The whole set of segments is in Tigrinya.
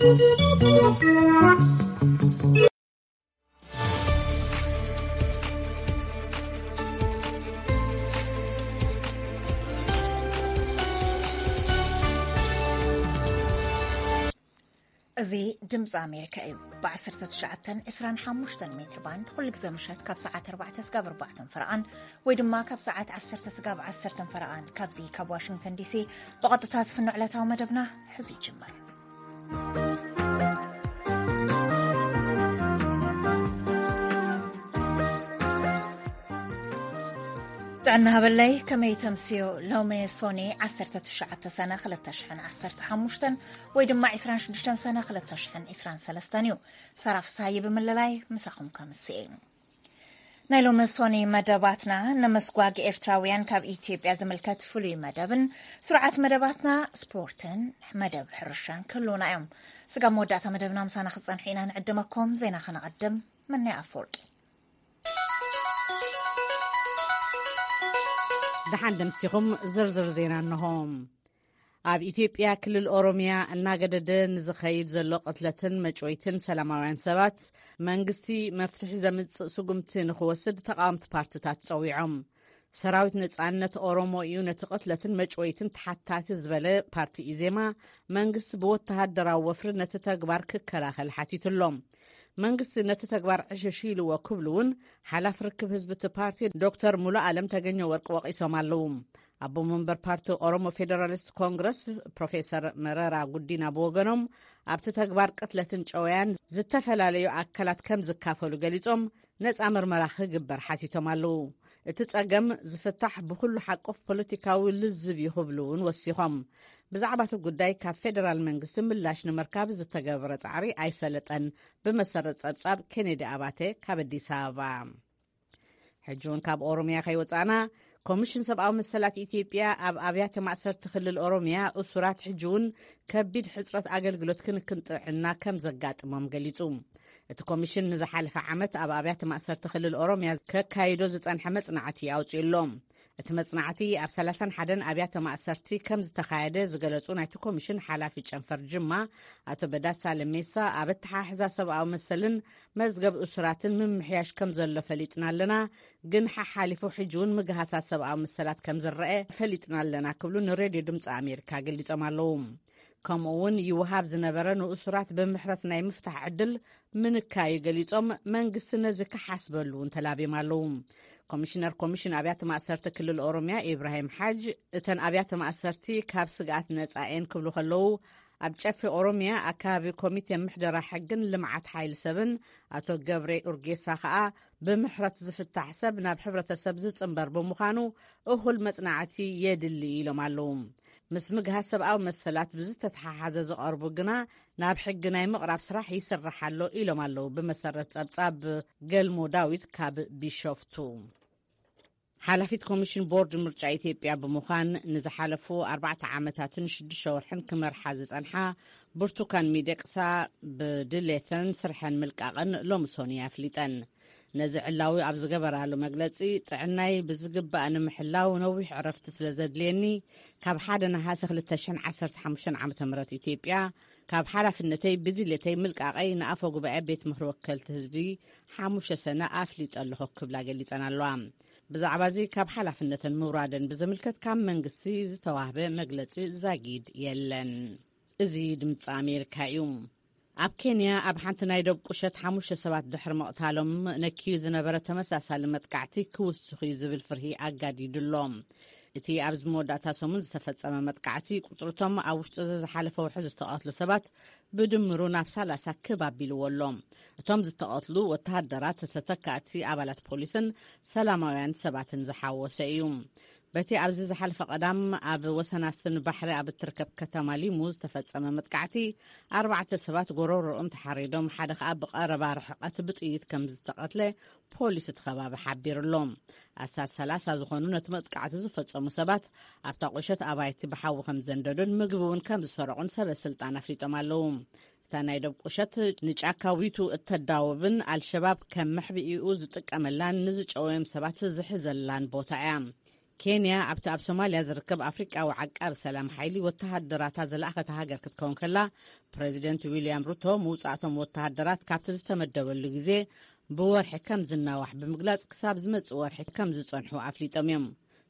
እዚ ድምፂ ኣሜሪካ እዩ። ብ19፣ 25 ሜትር ባንድ ኩሉ ግዜ ምሸት ካብ ሰዓት ኣርባዕተ ስጋብ ኣርባዕተ ፈረቓን ወይ ድማ ካብ ሰዓት ዓሰርተ ስጋብ ዓሰርተ ፈረቓን ካብዚ ካብ ዋሽንግተን ዲሲ ብቐጥታ ዝፍኖ ዕለታዊ መደብና ሕዚ ይጅምር። ጥዕና ሃበለይ፣ ከመይ ተምስዮ? ሎሚ ሶኒ ዓሰርተ ትሽዓተ ሰነ ክልተ ሽሕን ዓሰርተ ሓሙሽተን ወይ ድማ ዕስራን ሽዱሽተን ሰነ ክልተ ሽሕን ዕስራን ሰለስተን እዩ። ሰራፍ ሳይ ብምልላይ ምሳኹም ከምስኤ። ናይ ሎሚ ሶኒ መደባትና፣ ንምስጓግ ኤርትራውያን ካብ ኢትዮጵያ ዝምልከት ፍሉይ መደብን ስርዓት መደባትና ስፖርትን መደብ ሕርሻን ክህልውና እዮም። ስጋብ መወዳእታ መደብና ምሳና ክትጸንሑ ኢና ንዕድመኩም። ዜና ከነቐድም። ምንያ ኣፈወርቂ። ደሓን ደምሲኹም። ዝርዝር ዜና እንሆ። ኣብ ኢትዮጵያ ክልል ኦሮሚያ እናገደደ ንዝኸይድ ዘሎ ቅትለትን መጭወይትን ሰላማውያን ሰባት መንግስቲ መፍትሒ ዘምጽእ ስጉምቲ ንኽወስድ ተቃወምቲ ፓርትታት ጸዊዖም። ሰራዊት ነጻነት ኦሮሞ እዩ ነቲ ቅትለትን መጭወይትን ተሓታቲ ዝበለ ፓርቲ ኢዜማ፣ መንግስቲ ብወተሃደራዊ ወፍሪ ነቲ ተግባር ክከላኸል ሓቲቱ ኣሎ። መንግስቲ ነቲ ተግባር ዕሽሽ ኢልዎ ክብሉ እውን ሓላፊ ርክብ ህዝቢ እቲ ፓርቲ ዶክተር ሙሉ ኣለም ተገኘ ወርቂ ወቒሶም ኣለዉ። ኣቦ መንበር ፓርቲ ኦሮሞ ፌደራሊስት ኮንግረስ ፕሮፌሰር መረራ ጉዲና ብወገኖም፣ ኣብቲ ተግባር ቅትለትን ጨወያን ዝተፈላለዩ ኣካላት ከም ዝካፈሉ ገሊጾም፣ ነጻ ምርመራ ክግበር ሓቲቶም ኣለዉ። እቲ ጸገም ዝፍታሕ ብኹሉ ሓቆፍ ፖለቲካዊ ልዝብ እዩ ክብሉ እውን ወሲኾም። ብዛዕባ እቲ ጉዳይ ካብ ፌደራል መንግስቲ ምላሽ ንምርካብ ዝተገብረ ጻዕሪ ኣይሰለጠን። ብመሰረት ጸብጻብ ኬኔዲ ኣባተ ካብ ኣዲስ ኣበባ። ሕጂ እውን ካብ ኦሮሚያ ከይወጻእና፣ ኮሚሽን ሰብኣዊ መሰላት ኢትዮጵያ ኣብ ኣብያተ ማእሰርቲ ክልል ኦሮሚያ እሱራት ሕጂ እውን ከቢድ ሕጽረት ኣገልግሎት ክንክን ጥዕና ከም ዘጋጥሞም ገሊጹ። እቲ ኮሚሽን ንዝሓለፈ ዓመት ኣብ ኣብያተ ማእሰርቲ ክልል ኦሮሚያ ከካይዶ ዝጸንሐ መጽናዕቲ ኣውጺኡ ኣሎ። እቲ መጽናዕቲ ኣብ ሰላሳን ሓደን ኣብያተ ማእሰርቲ ከም ዝተኻየደ ዝገለጹ ናይቲ ኮሚሽን ሓላፊ ጨንፈር ጅማ ኣቶ በዳሳ ለሜሳ፣ ኣብ ኣተሓሕዛ ሰብኣዊ መሰልን መዝገብ እሱራትን ምምሕያሽ ከም ዘሎ ፈሊጥና ኣለና፣ ግን ሓሓሊፉ ሕጂ እውን ምግሃሳት ሰብኣዊ መሰላት ከም ዝረአ ፈሊጥና ኣለና ክብሉ ንሬድዮ ድምፂ ኣሜሪካ ገሊጾም ኣለዉ። ከምኡ እውን ይወሃብ ዝነበረ ንእሱራት ብምሕረት ናይ ምፍታሕ ዕድል ምንካዩ ገሊጾም፣ መንግስቲ ነዚ ክሓስበሉ እውን ተላብዮም ኣለዉ። ኮሚሽነር ኮሚሽን ኣብያተ ማእሰርቲ ክልል ኦሮሚያ ኢብራሂም ሓጅ፣ እተን ኣብያተ ማእሰርቲ ካብ ስግኣት ነጻ እየን ክብሉ ከለዉ፣ ኣብ ጨፌ ኦሮሚያ ኣካባቢ ኮሚቴ ምሕደራ ሕግን ልምዓት ሓይሊ ሰብን ኣቶ ገብሬ ኡርጌሳ ከኣ፣ ብምሕረት ዝፍታሕ ሰብ ናብ ሕብረተሰብ ዝጽንበር ብምዃኑ እኹል መጽናዕቲ የድሊ ኢሎም ኣለዉ። ምስ ምግሃስ ሰብኣዊ መሰላት ብዝተተሓሓዘ ዝቐርቡ ግና ናብ ሕጊ ናይ ምቕራብ ስራሕ ይስራሕ ኣሎ ኢሎም ኣለዉ። ብመሰረት ጸብጻብ ገልሞ ዳዊት ካብ ቢሾፍቱ። ሓላፊት ኮሚሽን ቦርድ ምርጫ ኢትዮጵያ ብምዃን ንዝሓለፉ ኣርባዕተ ዓመታትን ሽዱሽተ ወርሕን ክመርሓ ዝጸንሓ ብርቱካን ሚደቅሳ ብድሌተን ስርሐን ምልቃቐን ሎሚ ሶኒ ኣፍሊጠን። ነዚ ዕላዊ ኣብ ዝገበራሉ መግለጺ፣ ጥዕናይ ብዝግባእ ንምሕላው ነዊሕ ዕረፍቲ ስለ ዘድልየኒ፣ ካብ ሓደ ነሓሰ ክልተ ሽሕን ዓሰርተ ሓሙሽተን ዓመተ ምህረት ኢትዮጵያ ካብ ሓላፍነተይ ብድሌተይ ምልቃቐይ ንኣፈ ጉባኤ ቤት ምኽሪ ወከልቲ ህዝቢ ሓሙሽተ ሰነ ኣፍሊጠ ኣለኹ ክብላ ገሊጸን ኣለዋ። ብዛዕባ እዚ ካብ ሓላፍነተን ምውራደን ብዝምልከት ካብ መንግስቲ ዝተዋህበ መግለጺ ዛጊድ የለን። እዚ ድምፂ ኣሜሪካ እዩ። ኣብ ኬንያ ኣብ ሓንቲ ናይ ዶብ ቁሸት ሓሙሽተ ሰባት ድሕሪ ምቕታሎም ነኪዩ ዝነበረ ተመሳሳሊ መጥቃዕቲ ክውስኽ እዩ ዝብል ፍርሂ ኣጋዲዱ ኣሎ። እቲ ኣብዚ መወዳእታ ሰሙን ዝተፈጸመ መጥቃዕቲ ቁጽርቶም ኣብ ውሽጢ እዚ ዝሓለፈ ወርሒ ዝተቐትሉ ሰባት ብድምሩ ናብ ሰላሳ ክብ ኣቢልዎ ኣሎ። እቶም ዝተቐትሉ ወተሃደራት ተተካእቲ ኣባላት ፖሊስን ሰላማውያን ሰባትን ዝሓወሰ እዩ። በቲ ኣብዚ ዝሓለፈ ቀዳም ኣብ ወሰናስን ባሕሪ ኣብ እትርከብ ከተማ ሊሙ ዝተፈጸመ መጥቃዕቲ፣ ኣርባዕተ ሰባት ጎሮሮኦም ተሓሪዶም፣ ሓደ ከኣ ብቐረባ ርሕቐት ብጥይት ከም ዝተቐትለ ፖሊስ እቲ ከባቢ ሓቢሩ ኣሎ። ኣስታት ሰላሳ ዝኾኑ ነቲ መጥቃዕቲ ዝፈጸሙ ሰባት ኣብታ ቁሸት ኣባይቲ ብሓዊ ከም ዘንደዱን ምግቢ እውን ከም ዝሰረቑን ሰበ ስልጣን ኣፍሊጦም ኣለዉ። እታ ናይ ዶብ ቁሸት ንጫካ ዊቱ እተዳውብን ኣልሸባብ ከም መሕብኢኡ ዝጥቀመላን ንዝጨወዮም ሰባት ዝሕዘላን ቦታ እያ። ኬንያ ኣብቲ ኣብ ሶማልያ ዝርከብ ኣፍሪቃዊ ዓቃቢ ሰላም ሓይሊ ወተሃደራታ ዝለኣኸት ሃገር ክትከውን ከላ፣ ፕረዚደንት ዊልያም ሩቶ ምውጻእቶም ወተሃደራት ካብቲ ዝተመደበሉ ግዜ ብወርሒ ከም ዝናዋሕ ብምግላጽ፣ ክሳብ ዝመጽእ ወርሒ ከም ዝጸንሑ ኣፍሊጦም እዮም።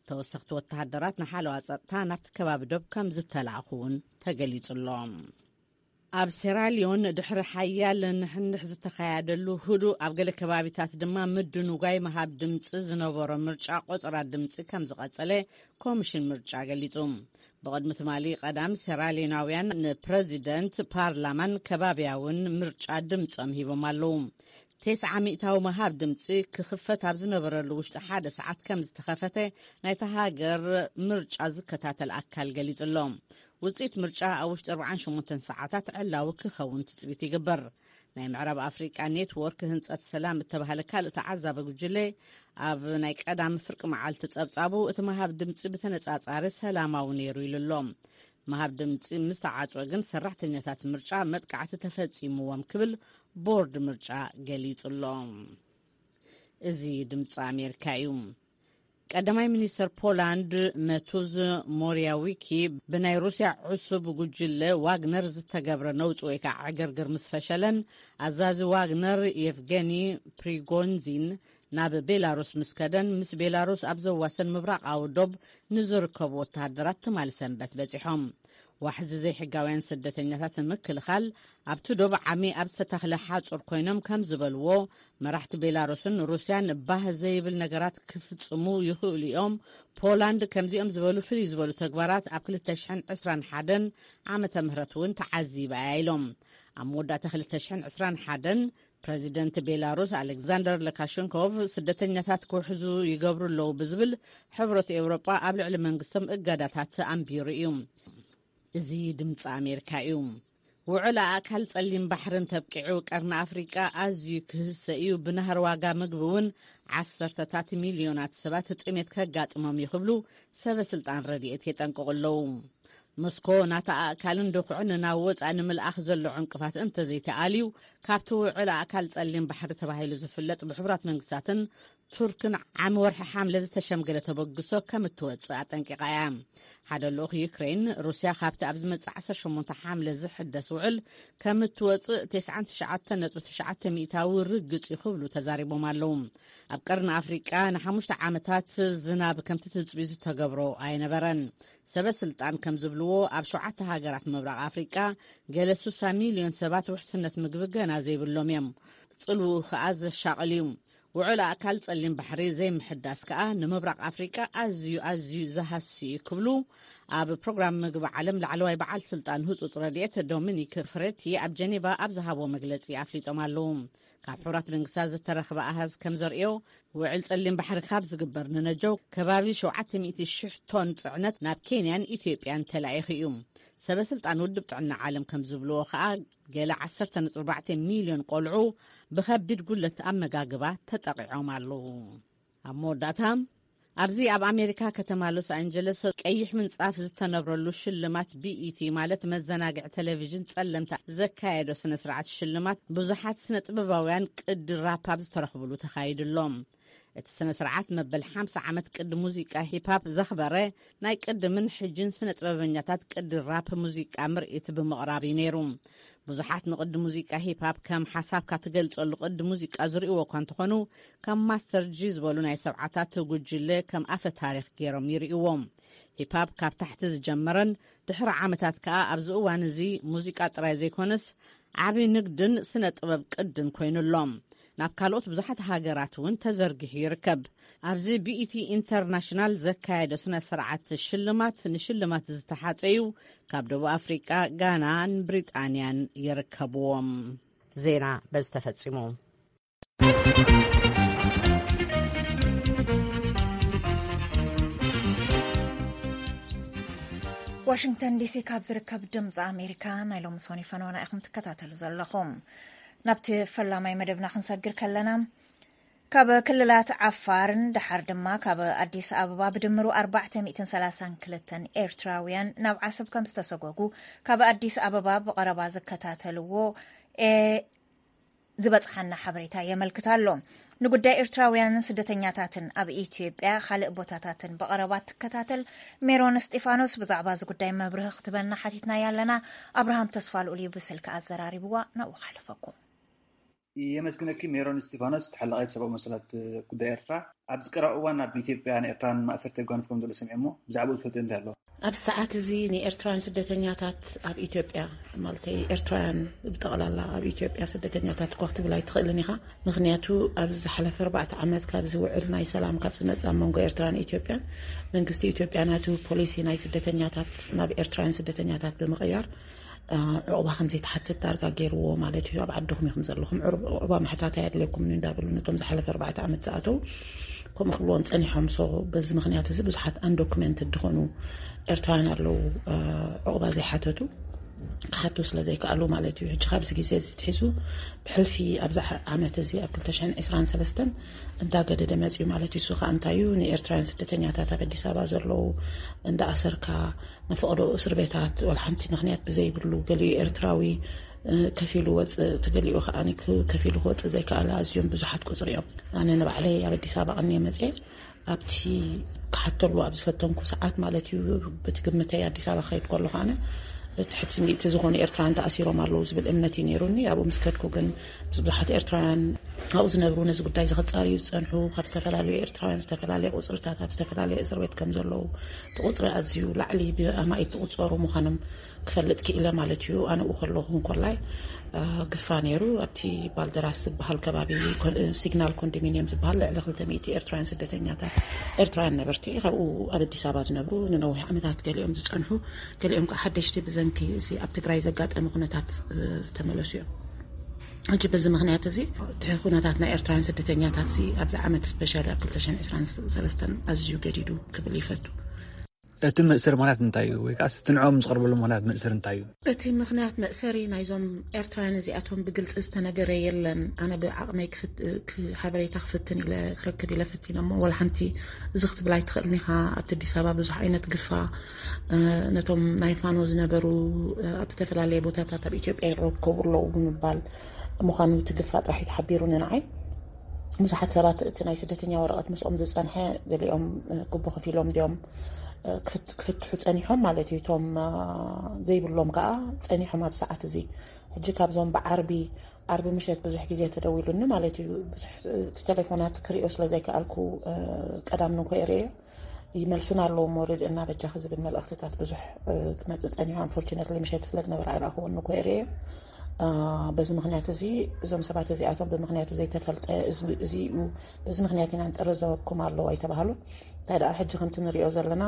ተወሰኽቲ ወተሃደራት ንሓለዋ ጸጥታ ናብቲ ከባቢ ዶብ ከም ዝተላእኹ እውን ተገሊጹ ኣሎ። ኣብ ሴራሊዮን ድሕሪ ሓያል ንሕንሕ ዝተኻየደሉ ህዱእ፣ ኣብ ገለ ከባቢታት ድማ ምድንጓይ ምሃብ ድምጺ ዝነበሮ ምርጫ፣ ቆጸራ ድምጺ ከም ዝቐጸለ ኮሚሽን ምርጫ ገሊጹ። ብቕድሚ ትማሊ ቀዳም፣ ሴራሊዮናውያን ንፕረዚደንት፣ ፓርላማን ከባብያውን ምርጫ ድምጾም ሂቦም ኣለዉ። ተስዓ ሚእታዊ ምሃብ ድምጺ ክኽፈት ኣብ ዝነበረሉ ውሽጢ ሓደ ሰዓት ከም ዝተኸፈተ ናይታ ሃገር ምርጫ ዝከታተል ኣካል ገሊጹ ኣሎ። ውጽኢት ምርጫ ኣብ ውሽጢ ኣርባዓን ሸሞንተን ሰዓታት ዕላዊ ክኸውን ትጽቢት ይግበር። ናይ ምዕራብ ኣፍሪቃ ኔትወርክ ህንጸት ሰላም እተባህለ ካልእ ተዓዛቢ ጉጅለ፣ ኣብ ናይ ቀዳሚ ፍርቂ መዓልቲ ጸብጻቡ፣ እቲ ምሃብ ድምጺ ብተነጻጻሪ ሰላማዊ ነይሩ ኢሉ ኣሎ። ምሃብ ድምጺ ምስ ተዓጽወ ግን፣ ሰራሕተኛታት ምርጫ መጥቃዕቲ ተፈጺምዎም ክብል ቦርድ ምርጫ ገሊጹ ኣሎ። እዚ ድምፂ ኣሜሪካ እዩ። ቀዳማይ ሚኒስተር ፖላንድ መቱዝ ሞሪያዊኪ፣ ብናይ ሩስያ ዕሱብ ጉጅለ ዋግነር ዝተገብረ ነውፂ ወይ ከዓ ዕግርግር ምስ ፈሸለን፣ ኣዛዚ ዋግነር የቭገኒ ፕሪጎንዚን ናብ ቤላሩስ ምስ ከደን፣ ምስ ቤላሩስ ኣብ ዘዋሰን ምብራቓዊ ዶብ ንዝርከቡ ወተሃደራት ትማሊ ሰንበት በፂሖም። ዋሕዚ ዘይሕጋውያን ስደተኛታት ንምክልኻል ኣብቲ ዶብ ዓሚ ኣብ ዝተተኽለ ሓጹር ኮይኖም ከም ዝበልዎ፣ መራሕቲ ቤላሩስን ሩስያን ባህ ዘይብል ነገራት ክፍጽሙ ይኽእሉ እዮም። ፖላንድ ከምዚኦም ዝበሉ ፍልይ ዝበሉ ተግባራት ኣብ ክልተ ሽሕን ዕስራን ሓደን ዓመተ ምህረት እውን ተዓዚባ እያ ኢሎም። ኣብ መወዳእታ ክልተ ሽሕን ዕስራን ሓደን ፕረዚደንት ቤላሩስ ኣሌክዛንደር ለካሸንኮቭ፣ ስደተኛታት ክውሕዙ ይገብሩ ኣለዉ ብዝብል፣ ሕብረት ኤውሮጳ ኣብ ልዕሊ መንግስቶም እገዳታት ኣንቢሩ እዩ። እዚ ድምፂ ኣሜሪካ እዩ። ውዕል ኣእካል ጸሊም ባሕርን ተብቂዑ፣ ቀርኒ ኣፍሪቃ ኣዝዩ ክህሰ እዩ፣ ብናህሪ ዋጋ ምግቢ እውን ዓሰርተታት ሚልዮናት ሰባት ጥሜት ከጋጥሞም እዩ ክብሉ ሰበ ስልጣን ረድኤት የጠንቅቑ ኣለዉ። ሞስኮ ናታ ኣእካልን ድኹዕን ናብ ወጻኢ ንምልኣኽ ዘሎ ዕንቅፋት እንተዘይተኣልዩ፣ ካብቲ ውዕል ኣእካል ጸሊም ባሕሪ ተባሂሉ ዝፍለጥ ብሕቡራት መንግስታትን ቱርክን ዓሚ ወርሒ ሓምለ ዝተሸምገለ ተበግሶ ከም እትወጽእ ኣጠንቂቓ እያ። ሓደ ልኡኽ ዩክሬን፣ ሩስያ ካብቲ ኣብ ዝመጽእ ዓሰርተ ሸሞንተ ሓምለ ዝሕደስ ውዕል ከም እትወጽእ ተስዓን ትሽዓተን ነጥቢ ትሽዓተ ሚእታዊ ርግጽ እዩ ክብሉ ተዛሪቦም ኣለዉ። ኣብ ቀርኒ ኣፍሪቃ ንሓሙሽተ ዓመታት ዝናብ ከምቲ ትጽቢ ዝተገብሮ ኣይነበረን። ሰበ ስልጣን ከም ዝብልዎ፣ ኣብ ሸውዓተ ሃገራት ምብራቕ ኣፍሪቃ ገለ ስሳ ሚልዮን ሰባት ውሕስነት ምግቢ ገና ዘይብሎም እዮም። ጽልውኡ ከኣ ዘሻቕል እዩ። ውዕል ኣእካል ጸሊም ባሕሪ ዘይምሕዳስ ከኣ ንምብራቕ ኣፍሪቃ ኣዝዩ፣ ኣዝዩ ዝሃሲ እዩ ክብሉ ኣብ ፕሮግራም ምግቢ ዓለም ላዕለዋይ በዓል ስልጣን ህጹጽ ረድኤት ዶሚኒክ ፍሬቲ ኣብ ጀኔቫ ኣብ ዝሃቦ መግለጺ ኣፍሊጦም ኣለዉ። ካብ ሕቡራት መንግስታት ዝተረኽበ ኣሃዝ ከም ዘርእዮ፣ ውዕል ጸሊም ባሕሪ ካብ ዝግበር ንነጀው ከባቢ ሸውዓተ ሚእቲ ሽሕ ቶን ጽዕነት ናብ ኬንያን ኢትዮጵያን ተላኢኹ እዩ። ሰበ ስልጣን ውድብ ጥዕና ዓለም ከም ዝብልዎ ከኣ፣ ገለ ዓሰርተ ነጥቢ ኣርባዕተ ሚልዮን ቆልዑ ብኸቢድ ጉለት ኣመጋግባ ተጠቒዖም ኣለዉ። ኣብ መወዳእታ፣ ኣብዚ ኣብ ኣሜሪካ ከተማ ሎስ ኣንጀለስ ቀይሕ ምንጻፍ ዝተነብረሉ ሽልማት ቢኢቲ፣ ማለት መዘናግዒ ቴሌቪዥን ጸለምታ፣ ዘካየዶ ስነ ስርዓት ሽልማት ብዙሓት ስነ ጥበባውያን ቅዲ ራፕ ኣብ ዝተረኽብሉ ተኻይዱ ኣሎ። እቲ ስነ ስርዓት መበል ሓምሳ ዓመት ቅዲ ሙዚቃ ሂፕ ሃፕ ዘኽበረ፣ ናይ ቅድምን ሕጅን ስነ ጥበበኛታት ቅዲ ራፕ ሙዚቃ ምርኢት ብምቕራብ እዩ ነይሩ። ብዙሓት ንቅዲ ሙዚቃ ሂፕ ሃፕ ከም ሓሳብካ ትገልጸሉ ቅዲ ሙዚቃ ዝርእይዎ እኳ እንተኾኑ፣ ከም ማስተር ጂ ዝበሉ ናይ ሰብዓታት ጉጅለ ከም ኣፈ ታሪኽ ገይሮም ይርእይዎም። ሂፕ ሃፕ ካብ ታሕቲ ዝጀመረን ድሕሪ ዓመታት ከኣ ኣብዚ እዋን እዚ ሙዚቃ ጥራይ ዘይኮነስ ዓቢ ንግድን ስነ ጥበብ ቅድን ኮይኑ ኣሎ። ናብ ካልኦት ብዙሓት ሃገራት እውን ተዘርጊሑ ይርከብ። ኣብዚ ቢኢቲ ኢንተርናሽናል ዘካየዶ ስነ ስርዓት ሽልማት፣ ንሽልማት ዝተሓጸዩ ካብ ደቡብ ኣፍሪቃ፣ ጋናን ብሪጣንያን ይርከብዎም። ዜና በዚ ተፈጺሙ። ዋሽንግተን ዲሲ ካብ ዝርከብ ድምፂ ኣሜሪካ ናይ ሎሚ ሶኒ ፈነወና ኢኹም ትከታተሉ ዘለኹም። ናብቲ ፈላማይ መደብና ክንሰግር ከለና፣ ካብ ክልላት ዓፋርን ደሓር ድማ ካብ ኣዲስ ኣበባ ብድምሩ ኣርባዕተ ሚእትን ሰላሳን ክልተን ኤርትራውያን ናብ ዓሰብ ከም ዝተሰጎጉ ካብ ኣዲስ ኣበባ ብቐረባ ዝከታተልዎ ኤ ዝበጽሓና ሓበሬታ የመልክት ኣሎ። ንጉዳይ ኤርትራውያንን ስደተኛታትን ኣብ ኢትዮጵያ ካልእ ቦታታትን ብቐረባ ትከታተል ሜሮን እስጢፋኖስ ብዛዕባ እዚ ጉዳይ መብርሂ ክትበና ሓቲትና ያለና። ኣብርሃም ተስፋ ልኡል እዩ ብስልኪ ኣዘራሪብዋ። ናብኡ ክሓልፈኩም። የመስግነኪ ሜሮን እስጢፋኖስ፣ ተሓላቒት ሰብኣዊ መሰላት ጉዳይ ኤርትራ። ኣብዚ ቀረባ እዋን ኣብ ኢትዮጵያ ንኤርትራን ማእሰርቲ ኣጓንፎም ዘሎ ሰሚዐ እሞ ብዛዕባኡ ትፈልጢ እንታይ ኣሎ? ኣብ ሰዓት እዚ ንኤርትራውያን ስደተኛታት ኣብ ኢትዮጵያ፣ ማለት ኤርትራውያን ብጠቕላላ ኣብ ኢትዮጵያ ስደተኛታት እኳ ክትብል ኣይትኽእልን ኢኻ። ምኽንያቱ ኣብዚ ዝሓለፈ ኣርባዕተ ዓመት ካብዚ ውዕል ናይ ሰላም ካብ ዝመጽእ ኣብ መንጎ ኤርትራን ኢትዮጵያን መንግስቲ ኢትዮጵያ ናቱ ፖሊሲ ናይ ስደተኛታት ናብ ኤርትራውያን ስደተኛታት ብምቕያር ዕቑባ ከም ዘይትሓትት ዳርጋ ገይርዎ ማለት እዩ። ኣብ ዓድኹም ኢኹም ዘለኹም፣ ዕቑባ ምሕታት ኣየድልየኩምን እዩ እንዳበሉ ነቶም ዝሓለፈ ኣርባዕተ ዓመት ዝኣተው ከምኡ ክብልዎም ጸኒሖም። ሶ በዚ ምኽንያት እዚ ብዙሓት undocumented ዝኾኑ ኤርትራውያን ኣለዉ ዕቑባ ዘይሓተቱ ክሓቱ ስለ ዘይከኣሉ ማለት እዩ። ሕጂ ካብዚ ግዜ እዚ ትሒዙ ብሕልፊ ኣብዛ ዓመት እዚ ኣብ ክልተ ሽሕን ዕስራን ሰለስተን እንዳገደደ መጽዩ ማለት እዩ። እሱ ከዓ እንታይ እዩ፣ ንኤርትራውያን ስደተኛታት ኣብ ኣዲስ ኣበባ ዘለዉ እንዳኣሰርካ ንፈቕዶ እስር ቤታት ወላ ሓንቲ ምኽንያት ብዘይብሉ ገሊኡ ኤርትራዊ ከፊሉ ወፅእ እቲ ገሊኡ ከዓ ከፊሉ ክወፅእ ዘይከኣለ ኣዝዮም ብዙሓት ቁፅሪ እዮም። ኣነ ንባዕለይ ኣብ ኣዲስ ኣበባ ቀንየ መፅየ ኣብቲ ክሓተሉ ኣብ ዝፈተንኩ ሰዓት ማለት እዩ ብቲ ግምተይ ኣዲስ ኣበባ ክኸይድ ከለኹ ኣነ ትሕቲ ሚእቲ ዝኾኑ ኤርትራውያን ተኣሲሮም ኣለዉ ዝብል እምነት እዩ ነይሩኒ። ኣብኡ ምስ ከድኩ ግን ምስ ብዙሓት ኤርትራውያን ኣብኡ ዝነብሩ ነዚ ጉዳይ እዚ ክጻርዩ ዝጸንሑ ካብ ዝተፈላለዩ ኤርትራውያን ዝተፈላለየ ቁጽርታት ኣብ ዝተፈላለየ እስር ቤት ከም ዘለዉ እቲ ቁጽሪ ኣዝዩ ላዕሊ ብኣማኢት ዝቑጸሩ ምዃኖም ክፈልጥ ክኢለ ማለት እዩ። ኣነ ኣብኡ ከለኹ እንኮላይ ግፋ ነይሩ። ኣብቲ ባልደራስ ዝበሃል ከባቢ ሲግናል ኮንዶሚኒየም ዝበሃል ልዕሊ ክልተ ሚእቲ ኤርትራውያን ስደተኛታት ኤርትራውያን ነበርቲ ካብኡ ኣብ ኣዲስ ኣበባ ዝነብሩ ንነዊሕ ዓመታት ገሊኦም ዝጸንሑ ገሊኦም ከዓ ሓደሽቲ ብዘንኪ እዚ ኣብ ትግራይ ዘጋጠመ ኩነታት ዝተመለሱ እዮም። ሕጂ በዚ ምኽንያት እዚ እቲ ኩነታት ናይ ኤርትራውያን ስደተኛታት እዚ ኣብዚ ዓመት ስፔሻሊ ኣብ ክልተ ሽሕን ዕስራን ሰለስተን ኣዝዩ ገዲዱ ክብል ይፈቱ። እቲ መእሰሪ ምኽንያት እንታይ እዩ? ወይ ከዓ እቲ ንዕኦም ዝቐርበሉ ምኽንያት መእሰሪ እንታይ እዩ? እቲ ምኽንያት መእሰሪ ናይዞም ኤርትራውያን እዚኣቶም ብግልፂ ዝተነገረ የለን። ኣነ ብዓቕመይ ሓበሬታ ክፍትን ኢለ ክረክብ ኢለ ፈቲነ እሞ ዋላ ሓንቲ እዚ ክትብል ኣይትኽእልን ኢኻ። ኣብቲ ኣዲስ ኣበባ ብዙሕ ዓይነት ግፋ ነቶም ናይ ፋኖ ዝነበሩ ኣብ ዝተፈላለየ ቦታታት ኣብ ኢትዮጵያ ይረከቡ ኣለዉ ብምባል ምዃኑ እቲ ግፋ ጥራሕ እዩ ተሓቢሩኒ ንዓይ። ብዙሓት ሰባት እቲ ናይ ስደተኛ ወረቐት ምስኦም ዝጸንሐ ገሊኦም ጉቦ ከፊሎም ድዮም ክፍትሑ ጸኒሖም ማለት እዩ። እቶም ዘይብሎም ከዓ ጸኒሖም ኣብ ሰዓት እዚ። ሕጂ ካብዞም ብዓርቢ ዓርቢ ምሸት ብዙሕ ግዜ ተደዊሉኒ ማለት እዩ። ብዙሕ እቲ ቴሌፎናት ክሪኦ ስለ ዘይከኣልኩ ቀዳም ንኮ ርኤዮ ይመልሱና ኣለዎ እሞ ርድእና በጃኺ ዝብል መልእኽትታት ብዙሕ ክመፅእ ፀኒሑ። Unfortunately ምሸት ስለ ዝነበረ ኣይረኣኽዎን ንኮ ርኤዮ። በዚ ምኽንያት እዚ እዞም ሰባት እዚኣቶም ብምኽንያቱ ዘይተፈልጠ እዚ እዩ፣ በዚ ምኽንያት ኢና ንጥርዘኩም ኣለዉ ኣይተባሃሉን። እንታይ ደኣ ሕጂ ከምቲ ንሪኦ ዘለና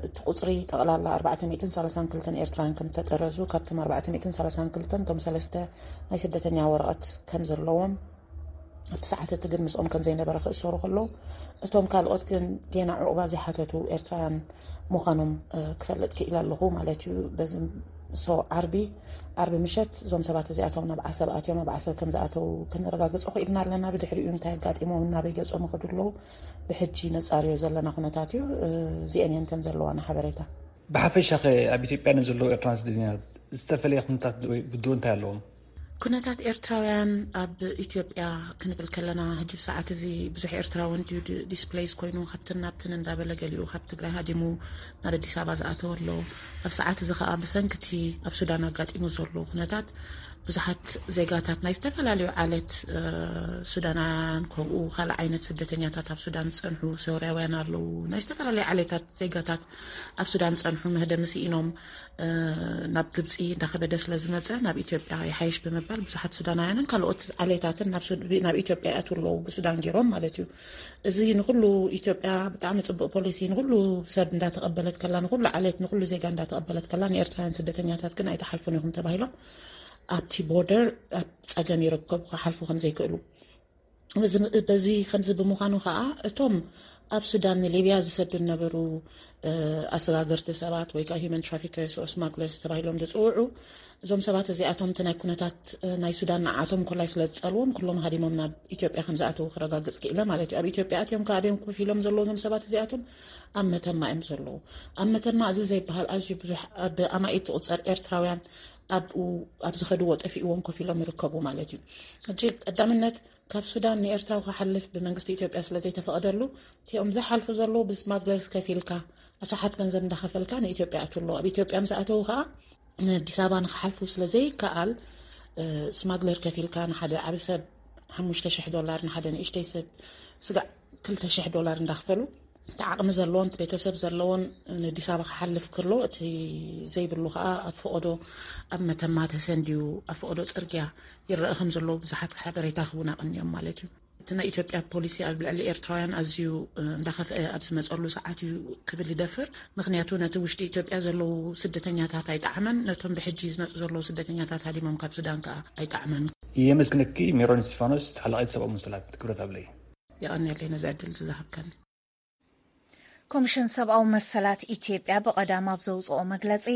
እቲ ቁፅሪ ጠቕላላ ኣርባዕተ ሚእትን ሰላሳን ክልተን ኤርትራውያን ከም ዝተጠረዙ፣ ካብቶም ኣርባዕተ ሚእትን ሰላሳን ክልተን እቶም ሰለስተ ናይ ስደተኛ ወረቐት ከም ዘለዎም ኣብቲ ሰዓት እቲ ግን ምስኦም ከም ዘይነበረ ክእሰሩ ከለዉ፣ እቶም ካልኦት ግን ጌና ዕቑባ ዘይሓተቱ ኤርትራውያን ምዃኖም ክፈልጥ ክኢለ ኣለኹ ማለት እዩ። በዚ ሶ ዓርቢ ዓርቢ ምሸት እዞም ሰባት እዚኣቶም ናብ ዓሰብ ኣትዮም ኣብ ዓሰብ ከም ዝኣተዉ ከነረጋግጾ ክኢልና ኣለና። ብድሕሪኡ እንታይ ኣጋጢሞም እናበይ ገጾም ይኸዱ ኣለዉ ብሕጂ ነጻርዮ ዘለና ኩነታት እዩ። እዚአን እየን እተን ዘለዋና ሓበሬታ። ብሓፈሻ ከ ኣብ ኢትዮጵያ ንዘለዉ ኤርትራውያን ስደተኛታት ዝተፈለየ ኩነታት ወይ ብድሆ እንታይ ኣለዎም? ኩነታት ኤርትራውያን ኣብ ኢትዮጵያ ክንብል ከለና ሕጂ ብሰዓት እዚ ብዙሕ ኤርትራዊ እንድዩ ዲስፕሌይስ ኮይኑ ካብትን ናብትን እንዳበለ ገሊኡ ካብ ትግራይ ሃዲሙ ናብ ኣዲስ ኣበባ ዝኣተወ ኣሎ። ኣብ ሰዓት እዚ ከዓ ብሰንክቲ ኣብ ሱዳን ኣጋጢሙ ዘሎ ኩነታት ብዙሓት ዜጋታት ናይ ዝተፈላለዩ ዓሌት ሱዳናውያን ከምኡ ካልእ ዓይነት ስደተኛታት ኣብ ሱዳን ዝፀንሑ ሶርያውያን ኣለዉ። ናይ ዝተፈላለዩ ዓሌታት ዜጋታት ኣብ ሱዳን ዝፀንሑ መህደሚ ስኢኖም ናብ ግብፂ እንዳኸበደ ስለ ዝመፀ ናብ ኢትዮጵያ ይሓይሽ ብምባል ብዙሓት ሱዳናውያንን ካልኦት ዓሌታትን ናብ ኢትዮጵያ ይኣትዉ ኣለዉ ብሱዳን ገይሮም ማለት እዩ። እዚ ንኩሉ ኢትዮጵያ ብጣዕሚ ፅቡቅ ፖሊሲ ንኩሉ ሰብ እንዳተቐበለት ከላ ንኩሉ ዓሌት ንኩሉ ዜጋ እንዳተቐበለት ከላ ንኤርትራውያን ስደተኛታት ግን ኣይትሓልፉን ኢኹም ተባሂሎም ኣብቲ ቦርደር ኣብ ፀገም ይርከቡ ክሓልፉ ከም ዘይክእሉ በዚ ከምዚ ብምዃኑ ከዓ እቶም ኣብ ሱዳን ንሊብያ ዝሰዱ ዝነበሩ ኣሰጋገርቲ ሰባት ወይ ከዓ human traffickers or smugglers ተባሂሎም ዝፅውዑ እዞም ሰባት እዚኣቶም እቲ ናይ ኩነታት ናይ ሱዳን ንዓቶም ኮላይ ስለ ዝፀልዎም ኩሎም ሃዲሞም ናብ ኢትዮጵያ ከም ዝኣተዉ ክረጋግፅ ክኢለ ማለት እዩ። ኣብ ኢትዮጵያ ኣትዮም ከኣበዮም ኮፍ ኢሎም ዘለዉ እዞም ሰባት እዚኣቶም ኣብ መተማ እዮም ዘለዉ። ኣብ መተማ እዚ ዘይበሃል ኣዝዩ ብዙሕ ብኣማኢት ዝቑፀር ኤርትራውያን ኣብኡ ኣብ ዝኸድዎ ጠፊእዎም ኮፍ ኢሎም ይርከቡ ማለት እዩ። ሕጂ ቀዳምነት ካብ ሱዳን ንኤርትራ ክሓልፍ ብመንግስቲ ኢትዮጵያ ስለ ዘይተፈቐደሉ፣ እቲኦም ዝሓልፉ ዘለዉ ብስማግለርስ ከፊልካ፣ ኣሽሓት ገንዘብ እንዳኸፈልካ ንኢትዮጵያ ኣትውሎ። ኣብ ኢትዮጵያ ምስ ኣተዉ ከዓ ንኣዲስ ኣበባ ንክሓልፉ ስለ ዘይከኣል፣ እ፣ ስማግለር ከፊልካ ንሓደ ዓቢ ሰብ ሓሙሽተ ሽሕ ዶላር፣ ንሓደ ንእሽተይ ሰብ ስጋዕ ክልተ ሽሕ ዶላር እንዳኽፈሉ፣ እቲ ዓቕሚ ዘለዎን እቲ ቤተሰብ ዘለዎን ንኣዲስ ኣበባ ክሓልፍ ከሎ፣ እቲ ዘይብሉ ከዓ ኣብ ፈቐዶ፣ ኣብ መተማ ተሰንድዩ ኣብ ፈቐዶ ጽርግያ ይረአ ከም ዘሎ ብዙሓት ሓበሬታ ክቡና ቀንዮም ማለት እዩ። እቲ ናይ ኢትዮጵያ ፖሊሲ ኣብ ልዕሊ ኤርትራውያን ኣዝዩ፣ እ፣ እንዳኸፍአ ኣብ ዝመጸሉ ሰዓት እዩ ክብል ይደፍር። ምኽንያቱ ነቲ ውሽጢ ኢትዮጵያ ዘለዉ ስደተኛታት ኣይጠዓመን፣ ነቶም ብሕጂ ዝመጹ ዘለዉ ስደተኛታት ሃዲሞም ካብ ሱዳን ከዓ ኣይጠዓመን። የመስግነኪ ሜሮን እስጢፋኖስ፣ ተሓላቒት ሰብኣዊ መሰላት ክብረት ኣብለይ። የቐንየለይ ነዚ ዕድል ዝሃብካኒ። ኮሚሽን ሰብኣዊ መሰላት ኢትዮጵያ ብቐዳም ኣብ ዘውፅኦ መግለፂ፣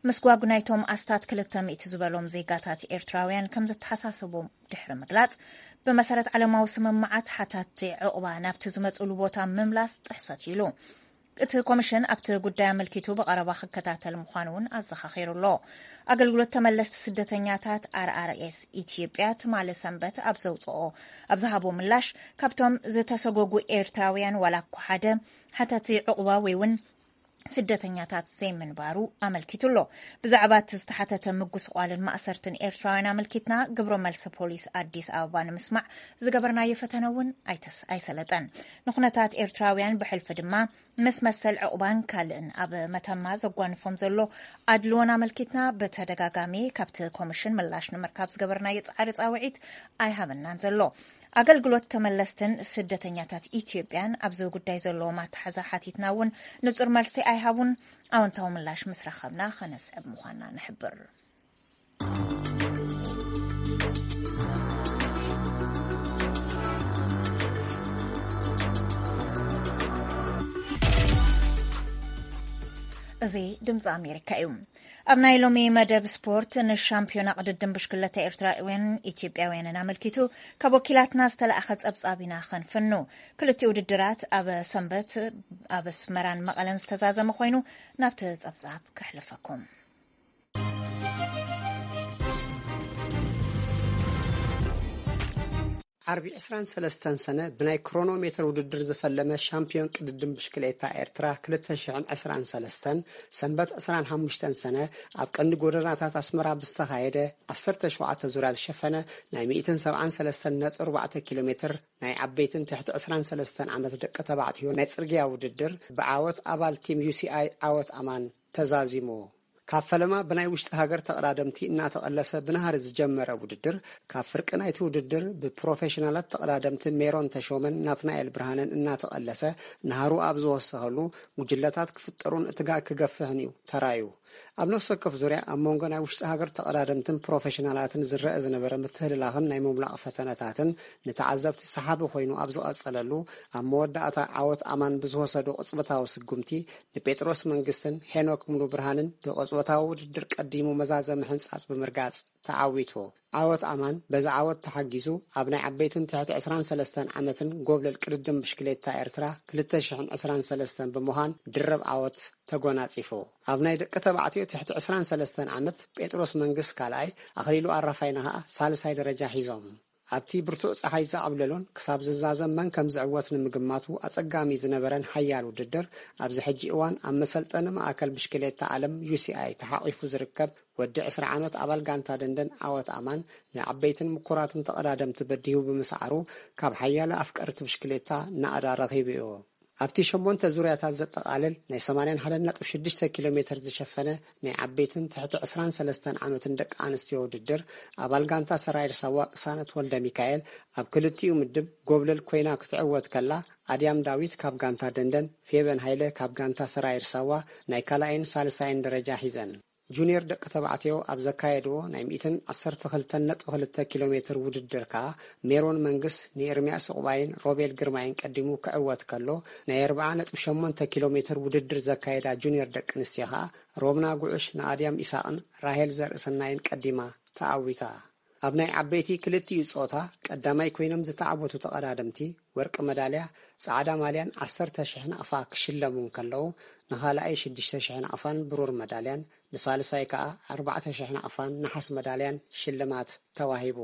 ምስጓግ ናይቶም ኣስታት ክልተ ሚእቲ ዝበሎም ዜጋታት ኤርትራውያን ከም ዘተሓሳሰቦም ድሕሪ ምግላፅ፣ ብመሰረት ዓለማዊ ስምምዓት ሓታትቲ ዕቑባ ናብቲ ዝመፅሉ ቦታ ምምላስ ጥሕሰት ኢሉ። እቲ ኮሚሽን ኣብቲ ጉዳይ ኣመልኪቱ ብቐረባ ክከታተል ምዃኑ እውን ኣዘኻኺሩ ኣሎ። ኣገልግሎት ተመለስቲ ስደተኛታት ኣር ኣር ኤስ ኢትዮጵያ ትማሊ ሰንበት ኣብ ዘውፅኦ፣ ኣብ ዝሃቦ ምላሽ፣ ካብቶም ዝተሰጎጉ ኤርትራውያን ዋላ እኳ ሓደ ሓታቲ ዕቑባ ወይ እውን ስደተኛታት ዘይምንባሩ ኣመልኪቱ ኣሎ። ብዛዕባ እቲ ዝተሓተተ ምጉስቋልን ማእሰርትን ኤርትራውያን ኣመልኪትና ግብረ መልሲ ፖሊስ ኣዲስ ኣበባ ንምስማዕ ዝገበርናዮ ፈተነ እውን ኣይተስ-፣ ኣይሰለጠን። ንኩነታት ኤርትራውያን ብሕልፊ ድማ ምስ መሰል ዕቑባን ካልእን ኣብ መተማ ዘጓንፎም ዘሎ ኣድልዎን ኣመልኪትና ብተደጋጋሚ ካብቲ ኮሚሽን ምላሽ ንምርካብ ዝገበርናዮ ጻዕሪ ጻውዒት ኣይሃበናን ዘሎ። ኣገልግሎት ተመለስትን ስደተኛታት ኢትዮጵያን ኣብዚ ጉዳይ ዘለዎም ኣተሓዛ ሓቲትና እውን ንጹር መልሲ ኣይሃቡን። ኣወንታዊ ምላሽ ምስ ረኸብና ከነስዕብ ምዃንና ንሕብር። እዚ ድምፂ ኣሜሪካ እዩ። ኣብ ናይ ሎሚ መደብ ስፖርት፣ ንሻምፒዮና ቅድድም ብሽክለታ ኤርትራውያን ኢትዮጵያውያንን ኣመልኪቱ ካብ ወኪላትና ዝተላእኸ ጸብጻብ ኢና ከንፍኑ። ክልቲኡ ውድድራት ኣብ ሰንበት ኣብ ኣስመራን መቐለን ዝተዛዘመ ኮይኑ፣ ናብቲ ጸብጻብ ከሕልፈኩም። ዓርቢ ዕስራን ሰለስተን ሰነ ብናይ ክሮኖሜተር ውድድር ዝፈለመ ሻምፒዮን ቅድድም ብሽክሌታ ኤርትራ ክልተ ሽሕን ዕስራን ሰለስተን፣ ሰንበት ዕስራን ሓሙሽተን ሰነ ኣብ ቀንዲ ጎደናታት ኣስመራ ብዝተኻየደ ዓሰርተ ሸውዓተ ዙርያ ዝሸፈነ ናይ ሚእትን ሰብዓን ሰለስተን ነጥቢ ኣርባዕተ ኪሎ ሜትር ናይ ዓበይትን ትሕቲ ዕስራን ሰለስተን ዓመት ደቂ ተባዕትዮ ናይ ጽርግያ ውድድር ብዓወት ኣባል ቲም ዩ ሲ ኣይ ዓወት ኣማን ተዛዚሙ። ካብ ፈለማ ብናይ ውሽጢ ሃገር ተቐዳደምቲ እናተቐለሰ ብናህሪ ዝጀመረ ውድድር፣ ካብ ፍርቂ ናይቲ ውድድር ብፕሮፌሽናላት ተቐዳደምቲ ሜሮን ተሾመን ናትናኤል ብርሃነን እናተቐለሰ ናህሩ ኣብ ዝወሰኸሉ፣ ጉጅለታት ክፍጠሩን እቲ ጋግ ክገፍሕን እዩ ተራእዩ። ኣብ ነፍሲ ወከፍ ዙርያ ኣብ መንጎ ናይ ውሽጢ ሃገር ተቐዳደምትን ፕሮፌሽናላትን ዝረአ ዝነበረ ምትህልላኽን ናይ ምምላቕ ፈተነታትን ንተዓዘብቲ ሰሓቢ ኮይኑ ኣብ ዝቐጸለሉ፣ ኣብ መወዳእታ ዓወት ኣማን ብዝወሰዶ ቅጽበታዊ ስጉምቲ ንጴጥሮስ መንግስትን ሄኖክ ሙሉ ብርሃንን ብቅጽበታዊ ውድድር ቀዲሙ መዛዘሚ ሕንጻጽ ብምርጋጽ ተዓዊቱ። ዓወት ኣማን በዚ ዓወት ተሓጊዙ ኣብ ናይ ዓበይትን ትሕቲ ዕስራን ሰለስተን ዓመትን ጎብለል ቅድድም ብሽክሌታ ኤርትራ ክልተ ሽሕን ዕስራን ሰለስተን ብምዃን ድርብ ዓወት ተጎናጺፉ። ኣብ ናይ ደቂ ተባዕትዮ ትሕቲ ዕስራን ሰለስተን ዓመት ጴጥሮስ መንግስ ካልኣይ፣ ኣኽሊሉ ኣራፋይነ ኸኣ ሳልሳይ ደረጃ ሒዞም። ኣብቲ ብርቱዕ ጸሓይ ዝዓብለሎን ክሳብ ዝዛዘም መን ከም ዝዕወት ንምግማቱ ኣጸጋሚ ዝነበረን ሓያል ውድድር፣ ኣብዚ ሕጂ እዋን ኣብ መሰልጠኒ ማእከል ብሽክሌታ ዓለም ዩ ሲ ኣይ ተሓቒፉ ዝርከብ ወዲ ዕስራ ዓመት ኣባል ጋንታ ደንደን ዓወት ኣማን ንዓበይትን ምኩራትን ተቐዳደምቲ በዲሁ ብምስዓሩ፣ ካብ ሓያለ ኣፍቀርቲ ብሽክሌታ ናእዳ ረኺቡ እዩ። ኣብቲ ሸሞንተ ዙርያታት ዘጠቓልል ናይ ሰማንያን ሓደን ነጥቢ ሽዱሽተ ኪሎ ሜትር ዝሸፈነ ናይ ዓበይትን ትሕቲ ዕስራን ሰለስተን ዓመትን ደቂ ኣንስትዮ ውድድር፣ ኣባል ጋንታ ሰራይር ሳዋ ቅሳነት ወልደ ሚካኤል ኣብ ክልቲኡ ምድብ ጎብለል ኮይና ክትዕወት ከላ፣ ኣድያም ዳዊት ካብ ጋንታ ደንደን፣ ፌበን ሃይለ ካብ ጋንታ ሰራይር ሳዋ ናይ ካልኣይን ሳልሳይን ደረጃ ሒዘን። ጁኒየር ደቂ ተባዕትዮ ኣብ ዘካየድዎ ናይ ሚእትን ዓሰርተ ክልተን ነጥቢ ክልተ ኪሎ ሜትር ውድድር ከኣ፣ ሜሮን መንግስ ንኤርምያስ ዕቑባይን ሮቤል ግርማይን ቀዲሙ ክዕወት ከሎ፣ ናይ ኣርብዓ ነጥቢ ሸሞንተ ኪሎ ሜትር ውድድር ዘካየዳ ጁኒየር ደቂ ኣንስትዮ ከኣ፣ ሮምና ጉዕሽ ንኣድያም ኢሳቕን ራሄል ዘርእሰናይን ቀዲማ ተዓዊታ። ኣብ ናይ ዓበይቲ ክልቲኡ ጾታ ቀዳማይ ኮይኖም ዝተዓወቱ ተቐዳደምቲ ወርቂ መዳልያ ጻዕዳ ማልያን ዓሰርተ ሽሕ ናቕፋ ክሽለሙ እንከለዉ፣ ንኻልኣይ ሽዱሽተ ሽሕ ናቕፋን ብሩር መዳልያን፣ ንሳልሳይ ከኣ ኣርባዕተ ሽሕ ናቕፋን ነሓስ መዳልያን ሽልማት ተዋሂቡ።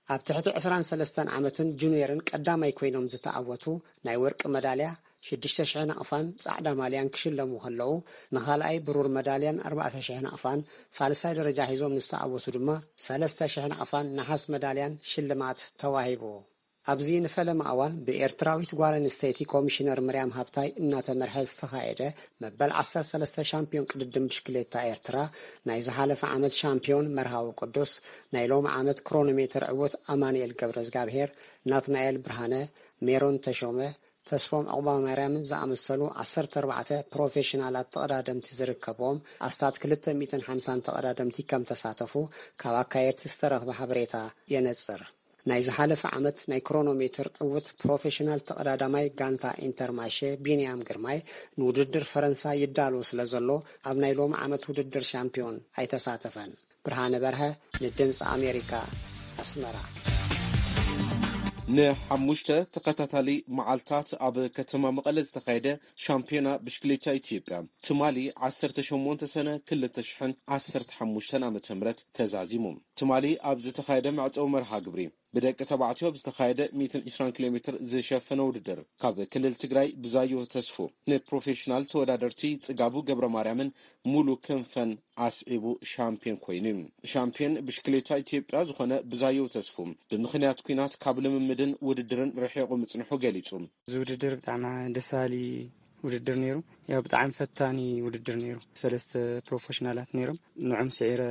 ኣብ ትሕቲ ዕስራን ሰለስተን ዓመትን ጁኒየርን ቀዳማይ ኮይኖም ዝተዓወቱ ናይ ወርቂ መዳልያ ሽዱሽተ ሽሕ ናቕፋን ጻዕዳ ማልያን ክሽለሙ ከለዉ፣ ንኻልኣይ ብሩር መዳልያን ኣርባዕተ ሽሕ ናቕፋን፣ ሳልሳይ ደረጃ ሒዞም ንዝተዓወቱ ድማ ሰለስተ ሽሕ ናቕፋን ነሓስ መዳልያን ሽልማት ተዋሂቡ። ኣብዚ ንፈለማ እዋን ብኤርትራዊት ጓል ኣንስተይቲ ኮሚሽነር ምርያም ሃብታይ እናተመርሐ ዝተኻየደ መበል ዓሰርተ ሰለስተ ሻምፒዮን ቅድድም ብሽክሌታ ኤርትራ፣ ናይ ዝሓለፈ ዓመት ሻምፒዮን መርሃዊ ቅዱስ፣ ናይ ሎሚ ዓመት ክሮኖሜተር ዕዉት ኣማኑኤል ገብረዝጋብሄር፣ ናትናኤል ብርሃነ፣ ሜሮን ተሾመ፣ ተስፎም ዕቑባማርያምን ዝኣመሰሉ ዓሰርተ ኣርባዕተ ፕሮፌሽናላት ተቐዳደምቲ ዝርከብዎም ኣስታት ክልተ ሚእትን ሓምሳን ተቐዳደምቲ ከም ተሳተፉ ካብ ኣካየድቲ ዝተረኽበ ሓበሬታ የነጽር። ናይ ዝሓለፈ ዓመት ናይ ክሮኖሜትር ዕዉት ፕሮፌሽናል ተቐዳዳማይ ጋንታ ኢንተርማሼ ቢንያም ግርማይ፣ ንውድድር ፈረንሳ ይዳሎ ስለ ዘሎ፣ ኣብ ናይ ሎሚ ዓመት ውድድር ሻምፒዮን ኣይተሳተፈን። ብርሃነ በርሀ፣ ንድምፂ ኣሜሪካ፣ ኣስመራ። ንሓሙሽተ ተኸታታሊ መዓልታት ኣብ ከተማ መቐለ ዝተኻየደ ሻምፒዮና ብሽክሌታ ኢትዮጵያ፣ ትማሊ ዓሰርተ ሸሞንተ ሰነ ክልተ ሽሕን ዓሰርተ ሓሙሽተን ዓመተ ምህረት ተዛዚሙ። ትማሊ ኣብ ዝተኻየደ መዕጸዊ መርሃ ግብሪ፣ ብደቂ ተባዕትዮ ኣብ ዝተኻየደ ሚእትን ዕስራን ኪሎ ሜትር ዝሸፈነ ውድድር፣ ካብ ክልል ትግራይ ብዛዮ ተስፉ ንፕሮፌሽናል ተወዳደርቲ ጽጋቡ ገብረ ማርያምን ሙሉ ክንፈን ኣስዒቡ ሻምፒዮን ኮይኑ። ሻምፒዮን ብሽክሌታ ኢትዮጵያ ዝኾነ ብዛዮ ተስፉ፣ ብምኽንያት ኲናት ካብ ልምምድን ውድድርን ርሒቑ ምጽንሑ ገሊጹ። እዚ ውድድር ብጣዕሚ ደስ በሃሊ ውድድር ነይሩ። ያው ብጣዕሚ ፈታኒ ውድድር ነይሩ። ሰለስተ ፕሮፌሽናላት ነይሮም። ንዖም ስዒረ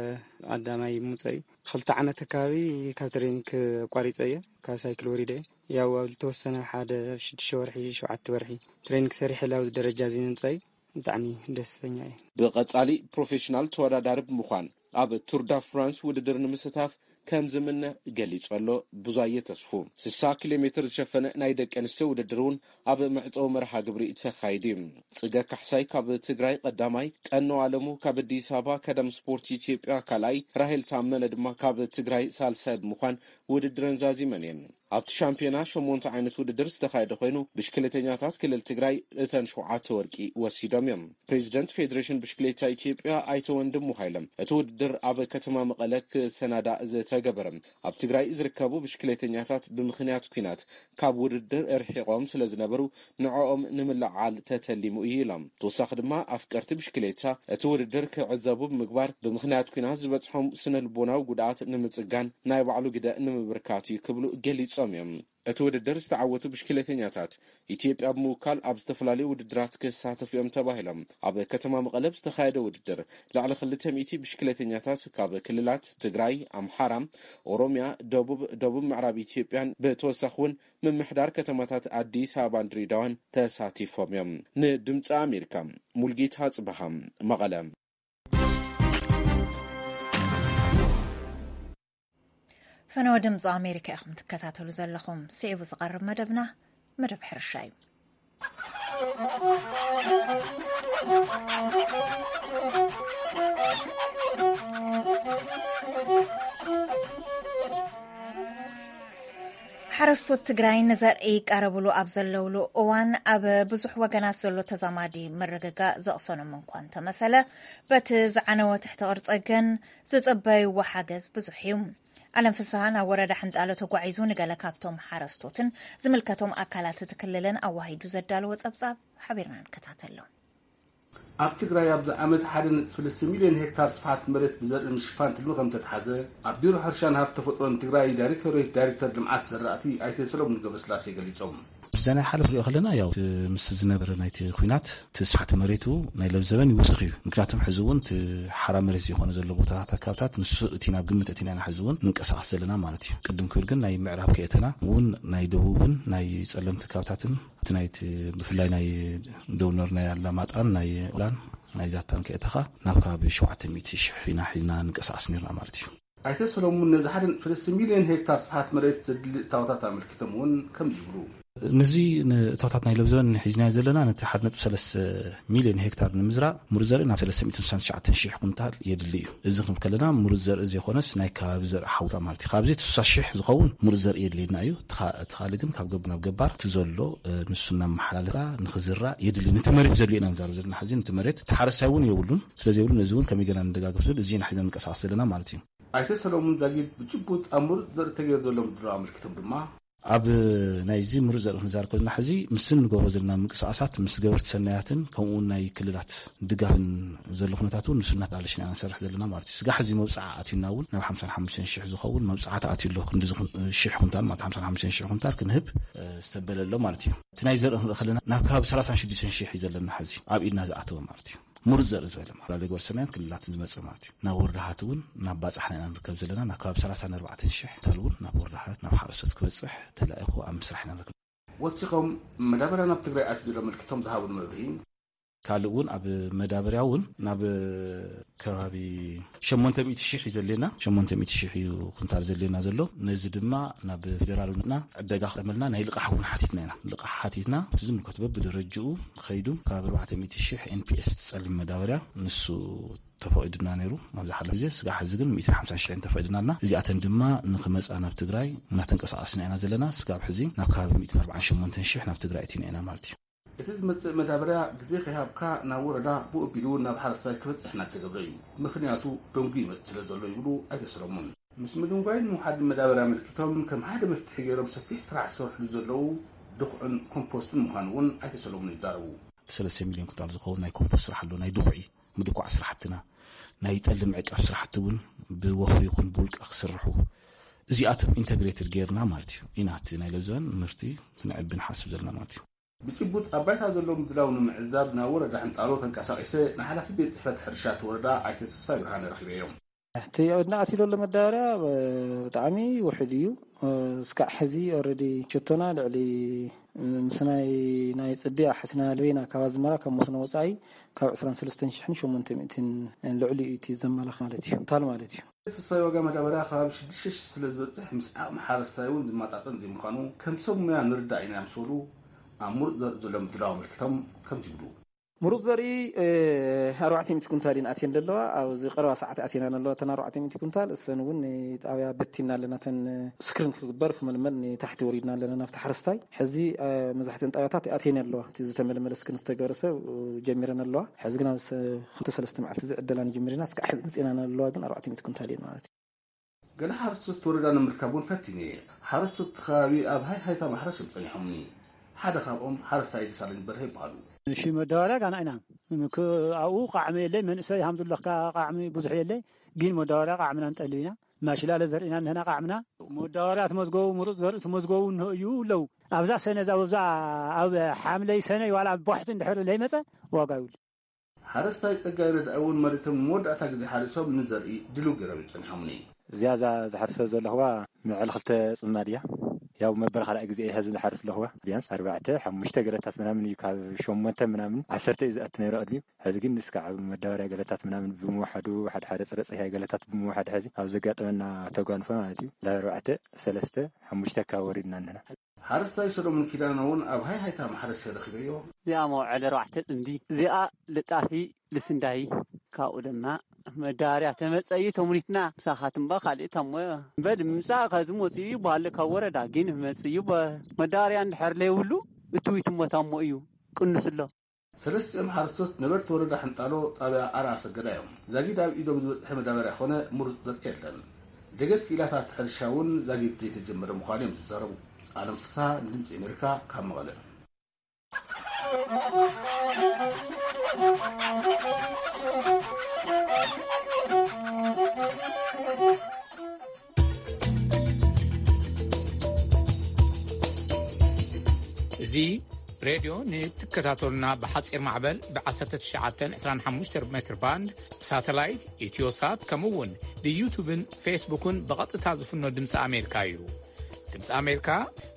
ቀዳማይ ምውፀእ እዩ። ክልተ ዓመት ኣካባቢ ካብ ትሬኒንግ ኣቋሪፀ እየ። ካብ ሳይክል ወሪደ እየ። ያው ኣብ ዝተወሰነ ሓደ ሽዱሽተ ወርሒ፣ ሸውዓተ ወርሒ ትሬኒንግ ሰሪሐ ኣብዚ ደረጃ እዚ ምምፃእ እዩ። ብጣዕሚ ደስተኛ እየ። ብቐጻሊ ፕሮፌሽናል ተወዳዳሪ ብምዃን ኣብ ቱር ዳ ፍራንስ ውድድር ንምስታፍ ከም ዝምነ ገሊጹ ኣሎ። ብዙየ ተስፉ ስሳ ኪሎ ሜትር ዝሸፈነ ናይ ደቂ ኣንስትዮ ውድድር እውን ኣብ መዕጸዊ መርሃ ግብሪ ተኻይዱ እዩ። ጽገ ካሕሳይ ካብ ትግራይ ቀዳማይ፣ ቀኖ ኣለሙ ካብ ኣዲስ ኣበባ፣ ከደም ስፖርት ኢትዮጵያ ካልኣይ፣ ራሄል ታመነ ድማ ካብ ትግራይ ሳልሳይ ብምዃን ውድድረን ዛዚመን እየን። ኣብቲ ሻምፒዮና ሸሞንተ ዓይነት ውድድር ዝተኻየደ ኮይኑ፣ ብሽክሌተኛታት ክልል ትግራይ እተን ሸውዓተ ወርቂ ወሲዶም እዮም። ፕሬዚደንት ፌዴሬሽን ብሽክሌታ ኢትዮጵያ ኣይተ ወንድሙ ሃይለም፣ እቲ ውድድር ኣብ ከተማ መቐለ ክሰናዳእ ዝተገበረ፣ ኣብ ትግራይ ዝርከቡ ብሽክሌተኛታት ብምኽንያት ኲናት ካብ ውድድር ርሒቖም ስለ ዝነበሩ፣ ንዕኦም ንምልዓል ተተሊሙ እዩ ኢሎም። ተወሳኺ ድማ ኣፍቀርቲ ብሽክሌታ እቲ ውድድር ክዕዘቡ ብምግባር፣ ብምኽንያት ኲናት ዝበጽሖም ስነ ልቦናዊ ጉድኣት ንምጽጋን ናይ ባዕሉ ግደ ንምብርካት እዩ ክብሉ ገሊጾም እዮም። እቲ ውድድር ዝተዓወቱ ብሽክሌተኛታት ኢትዮጵያ ብምውካል ኣብ ዝተፈላለዩ ውድድራት ክሳተፉ እዮም ተባሂሎም። ኣብ ከተማ መቐለ ዝተኻየደ ውድድር ልዕሊ ክልተ ሚእቲ ብሽክሌተኛታት ካብ ክልላት ትግራይ፣ ኣምሓራ፣ ኦሮሚያ፣ ደቡብ፣ ደቡብ ምዕራብ ኢትዮጵያን ብተወሳኺ እውን ምምሕዳር ከተማታት ኣዲስ ኣበባን ድሬዳዋን ተሳቲፎም እዮም። ንድምፂ ኣሜሪካ፣ ሙልጌታ ጽበሃ፣ መቐለ። ፈነወ ድምፂ ኣሜሪካ ኢኹም ትከታተሉ ዘለኹም። ስዒቡ ዝቐርብ መደብና መደብ ሕርሻ እዩ። ሓረስቶት ትግራይ ንዘርኢ ይቃረብሉ ኣብ ዘለውሉ እዋን፣ ኣብ ብዙሕ ወገናት ዘሎ ተዛማዲ ምርግጋእ ዘቕሰኖም እንኳ እንተመሰለ፣ በቲ ዝዓነወ ትሕቲ ቅርጸ ግን ዝጽበይዎ ሓገዝ ብዙሕ እዩ። ኣለም ፍስሃ ናብ ወረዳ ሕንጣሎ ተጓዒዙ ንገለ ካብቶም ሓረስቶትን ዝምልከቶም ኣካላት እቲ ክልልን ኣዋሂዱ ዘዳለዎ ጸብጻብ ሓቢርና ንከታተሎ። ኣብ ትግራይ ኣብዚ ዓመት ሓደ ነጥቢ ሰለስተ ሚልዮን ሄክታር ስፍሓት መሬት ብዘርኢ ምሽፋን ትልሚ ከም ተትሓዘ ኣብ ቢሮ ሕርሻን ሃፍቲ ተፈጥሮን ትግራይ ዳይሬክቶሬት ዳይሬክተር ልምዓት ዘራእቲ ኣይተ ሰሎሙን ገብረስላሴ ገሊጾም። ብዘናይ ሓለፍ ንሪኦ ከለና፣ ያው እቲ ምስ ዝነበረ ናይቲ ኲናት እቲ ስፍሓት መሬቱ ናይ ለብዘበን ይውስኽ እዩ። ምክንያቱም ሕዚ እውን እቲ ሓራ መሬት ዝኾነ ዘሎ ቦታታት ኣካባቢታት ንሱ እቲ ናብ ግምት እቲ ኢና ሕዚ እውን ንንቀሳቐስ ዘለና ማለት እዩ። ቅድም ክብል ግን ናይ ምዕራብ ከየተና እውን ናይ ደቡብን ናይ ጸለምቲ ከባብታትን እቲ ናይቲ ብፍላይ ናይ ደቡብ ኖር ናይ ኣላማጣን ናይ ኦላን ናይ ዛታን ከየተኻ ናብ ከባቢ ሸውዓተ ሚእቲ ሽሕ ኢና ሒዝና ንንቀሳቐስ ነርና ማለት እዩ። ኣይተ ሰሎሙን ነዚ ሓደ ነጥቢ ሰለስተ ሚልዮን ሄክታር ስፍሓት መሬት ዘድሊ እታወታት ኣመልኪቶም እውን ከምዚ ይብሉ። ነዚ ንእቶታት ናይ ለብዘበን ሒዝናዮ ዘለና ነቲ ሓደ ነጥቢ ሰለስተ ሚልዮን ሄክታር ንምዝራእ ምሩፅ ዘርኢ ናብ ሰለስተ ሚእትን ስሳን ትሽዓተን ሽሕ ኩንታል የድሊ እዩ። እዚ ክንብል ከለና ምሩፅ ዘርኢ ዘይኮነስ ናይ ከባቢ ዘርኢ ሓውታ ማለት እዩ። ካብዚ እቲ ስሳ ሽሕ ዝኸውን ምሩፅ ዘርኢ የድልየና እዩ። እቲ ካ-፣ እቲ ካልእ ግን ካብ ገብ ናብ ገባር እቲ ዘሎ፣ እ፣ ንሱ እናመሓላለፍካ ንኽዝራእ የድሊ። ነቲ መሬት ዘድልዮ ኢና ንዛረብ ዘለና። ሕዚ ነቲ መሬት እቲ ሓረስታይ እውን የብሉን። ስለ ዘይብሉ ነዚ እውን ከመይ ጌርና ንደጋግፍ ዝብል እዚ ኢና ሒዝና ንንቀሳቐስ ዘለና ማለት እዩ። ኣይተ ሰሎሙን ዛጊድ ብጭቡጥ ኣብ ምሩፅ ዘርኢ ተገይሩ ዘሎ ምድላው ኣመልኪቶም ድማ ኣብ ናይዚ ምሩፅ ዘርኢ ክንዛረብ ከለና ሕዚ ምስ እንገብሮ ዘለና ምንቅስቃሳት ምስ ገበርቲ ሰናያትን ከምኡ እውን ናይ ክልላት ድጋፍን ዘሎ ኩነታት እውን ንሱ እናተላለሽና ኢና ንሰርሕ ዘለና ማለት እዩ። ስጋዕ ሕዚ መብፅዓ ኣትዩና እውን ናብ ሓምሳን ሓሙሽተን ሽሕ ዝኸውን መብፅዓ ተኣትዩ ኣሎ። ክንዲ ዝኹን ሽሕ ኩንታል ማለት ሓምሳን ሓሙሽተን ሽሕ ኩንታል ክንህብ፣ እ፣ ዝተበለ ኣሎ ማለት እዩ። እቲ ናይ ዘርኢ ክንርኢ ከለና ናብ ከባቢ ሰላሳን ሽዱሽተን ሽሕ እዩ ዘለና ሕዚ ኣብ ኢድና ዝኣተወ ማለት እዩ። ምሩፅ ዘርኢ ዝበለ ማለት ናብ ገበርቲ ሰናያት ክልላት ዝመፅእ ማለት እዩ። ናብ ወረዳታት እውን ናብ ባፅሕና ኢና ንርከብ ዘለና። ናብ ከባቢ ሰላሳን ኣርባዕተን ሽሕ ኩንታል እውን ናብ ወረዳታት ናብ ሓረስቶት ክበፅሕ ተላኢኹ ኣብ ምስራሕ ኢና ንርከብ። ወሲኾም መዳበርያ ናብ ትግራይ ኣትዩ ዘሎ ኣመልኪቶም ዝሃብሉ መብርሂ። ካልእ እውን ኣብ መዳበርያ እውን ናብ ከባቢ ሸሞንተ ሚእቲ ሽሕ እዩ ዘድልየና። ሸሞንተ ሚእቲ ሽሕ እዩ ኩንታል ዘድልየና ዘሎ። ነዚ ድማ ናብ ፌደራል መፅና ዕደጋ ክጠመልና ናይ ልቃሕ እውን ሓቲትና ኢና። ልቃሕ ሓቲትና እቲ ዝምልከቱ በብደረጅኡ ከይዱ ካብ ኣርባዕተ ሚእቲ ሽሕ ኤን ፒ ኤስ እቲ ጸሊም መዳበርያ ንሱ ተፈቒዱና ነይሩ። ኣብዚ ሓለፈ ግዜ ስጋብ ሕዚ ግን ሚእትን ሓምሳን ሽሕን ተፈቒዱናልና። እዚኣተን ድማ ንክመጻ ናብ ትግራይ እናተንቀሳቐስና ኢና ዘለና። ስጋብ ሕዚ ናብ ከባቢ ሚእትን ኣርባዓን ሸሞንተን ሽሕ ናብ ትግራይ እቲና ኢና ማለት እዩ። እቲ ዝመጽእ መዳበርያ ግዜ ከይሃብካ ናብ ወረዳ ብኡ ኣቢሉ ናብ ሓረስታይ ክበጽሕ እናተገብረ እዩ። ምኽንያቱ ደንጉ ይመጽእ ስለ ዘሎ ይብሉ ኣይተ ሰሎሞን። ምስ ምድንጓይን ምውሓድን መዳበርያ ኣመልኪቶም ከም ሓደ መፍትሒ ገይሮም ሰፊሕ ስራሕ ዝሰርሕሉ ዘለዉ ድኹዕን ኮምፖስትን ምዃኑ እውን ኣይተ ሰሎሞን ይዛረቡ። ሰለስተ ሚልዮን ኩንታል ዝኸውን ናይ ኮምፖስት ስራሕ ኣሎ፣ ናይ ድኹዒ ምድኳዕ ስራሕትና፣ ናይ ጠሊ ምዕቃብ ስራሕቲ እውን ብወፍሪ ይኹን ብውልቀ ክስርሑ፣ እዚኣቶም ኢንተግሬትድ ጌርና ማለት እዩ ኢና እቲ ናይ ለብዘበን ምህርቲ ክነዕቢ ንሓስብ ዘለና ማለት እዩ። ብጭቡጥ ኣብ ባይታ ዘሎ ምድላው ንምዕዛብ ናብ ወረዳ ሕንጣሎ ተንቀሳቒሰ ንሓላፊ ቤት ጽሕፈት ሕርሻ እቲ ወረዳ ኣይተ ተስፋይ ብርሃነ ረኺበዮም። እቲ ኣብ ኢድና ኣትዩ ዘሎ መዳበርያ፣ እ፣ ብጣዕሚ ውሑድ እዩ። እ፣ እስካዕ ሕዚ ኦልሬዲ ሸቶና ልዕሊ፣ እ፣ ምስ ናይ፣ ናይ ጽድያ ሓሲና ልቤና ካብ ኣዝመራ ካብ መስኖ ወጻኢ ካብ ዕስራን ሰለስተን ሽሕን ሸሞንተ ሚእትን ልዕሊ እዩ እቲ ዘመላኽ ማለት እዩ። ኩንታል ማለት እዩ። ተስፋይ ዋጋ መዳበርያ ከባቢ ሽዱሽተ ሽሕ ስለ ዝበጽሕ ምስ ዓቕሚ ሓረስታይ እውን ዝመጣጠን ዘይምዃኑ ከም ሰብ ሙያ ንርዳእ ኢና ምስ በሉ ኣብ ምሩጽ ዘርኢ ዘሎ ምድላው ኣመልኪቶም ከምዚ ይብሉ። ምሩጽ ዘርኢ፣ እ፣ ኣርባዕተ ሚእቲ ኩንታል እየን ኣትየን ዘለዋ። ኣብዚ ቀረባ ሰዓት ኣትየናን ኣለዋ። እተን ኣርባዕተ ሚእቲ ኩንታል እሰን እውን ንጣብያ በቲና ኣለና። እተን ስክሪን ክግበር ክምልመል ንታሕቲ ወሪድና ኣለና ናብቲ ሓረስታይ። ሕዚ፣ እ፣ መብዛሕትአን ጣብያታት ኣትየን ኣለዋ። እቲ ዝተመልመለ ስክሪን ዝተገበረ ሰብ፣ እ፣ ጀሚረን ኣለዋ። ሕዚ ግን ኣብ ሰ-፣ ክልተ ሰለስተ መዓልቲ እዚ ዕደላ ንጅምር ኢና። እስካዕ ሕዚ መጺእናን ኣለዋ ግን ኣርባዕተ ሚእቲ ኩንታል እየን ማለት እዩ። ገለ ሓረስቶት ወረዳ ንምርካብ እውን ፈቲነ እየ። ሓረስቶት እቲ ከባቢ ኣብ ሃይሃይታ ማሕረስ እዮም ጸኒሖምኒ። ሓደ ካብኦም ሓረስታይ ደሳለኝ በርሀ ይበሃሉ። እሺ፣ መዳበርያ ጋና ኢና። ምክ-፣ ኣብኡ ቃዕሚ የለይ፣ መንእሰይ ሃምዙለካ ቃዕሚ ብዙሕ የለይ፣ ግን መዳበርያ ቃዕምና ንጠልብ ኢና። ማሽላ ለዘርኢና እንህና ቃዕምና፣ መዳበርያ ትመዝገቡ፣ ምሩጽ ዘርኢ ትመዝገቡ እንሆ እዩ ኣለዉ። ኣብዛ ሰነ፣ እዛ፣ ኣብዛ፣ ኣብ ሓምለይ ሰነ ዋላ ኣብ ባሕቲ እንድሕር ለይመጸ ዋጋ ይብሉ። ሓረስታይ ጸጋይ ረዳኢ እውን መሬቶም ንመወዳእታ ግዜ ሓሪሶም ንዘርኢ ድልው ገይሮም ይጸንሖምኒ። እዚኣ እዛ ዝሓርሰ ዘለኹዋ ምዕል ክልተ ጽማድ እያ። ያው መበል ካልኣይ ግዜ እየ ሕዚ ዝሓርስ ኣለኹዋ። ቢያንስ ኣርባዕተ፣ ሓሙሽተ ገለታት ምናምን እዩ፣ ካብ ሸሞንተ ምናምን ዓሰርተ እዩ ዝኣቱ ነይሩ ቅድሚኡ። ሕዚ ግን እስካዕ ኣብ መዳበርያ ገለታት ምናምን ብምውሓዱ፣ ሓደ ሓደ ጽረ ጽህያይ ገለታት ብምውሓድ ሕዚ ኣብ ዘጋጠመና ተጓንፎ ማለት እዩ። ላብ ኣርባዕተ፣ ሰለስተ፣ ሓሙሽተ ካብ ወሪድና እንህና። ሓረስታይ ሰሎሞን ኪዳነ እውን ኣብ ሃይሃይታ ማሕረስ ረኺበዮ። እዚኣ መውዓል ኣርባዕተ ጽምዲ፣ እዚኣ ልጣፊ ልስንዳይ፣ ካብኡ ድማ መዳርያ ተመጸዩ ተሙኒትና ምሳኻትም ባ ካልእ ታሞ እምበል ምምጻእ ከዚ መጽዩ ይበሃል ካብ ወረዳ ግን መጽዩ በ-፣ መዳርያ እንድሕር ለይብሉ እትዊት እሞ ታሞ እዩ ቅንስ ኣሎ። ሰለስቲኦም ሓረስቶት ነበርቲ ወረዳ ሕንጣሎ ጣብያ ኣርኣ ሰገዳ እዮም። ዛጊድ ኣብ ኢዶም ዝበጽሐ መዳበርያ ኾነ ምሩጽ ዘርኢ የለን። ደገፍ ክኢላታት ሕርሻ እውን ዛጊድ ዘይተጀመረ ምዃኑ እዮም ዝዛረቡ። ኣለም ፍስሃ ንድምፂ ኣሜሪካ ካብ መቐለ። እዚ ሬድዮ ንትከታተሉና ብሓጺር ማዕበል ብ1925 ሜትር ባንድ ብሳተላይት ኢትዮሳት ከምኡ እውን ብዩቱብን ፌስቡክን ብቐጥታ ዝፍኖ ድምፂ ኣሜሪካ እዩ። ድምፂ ኣሜሪካ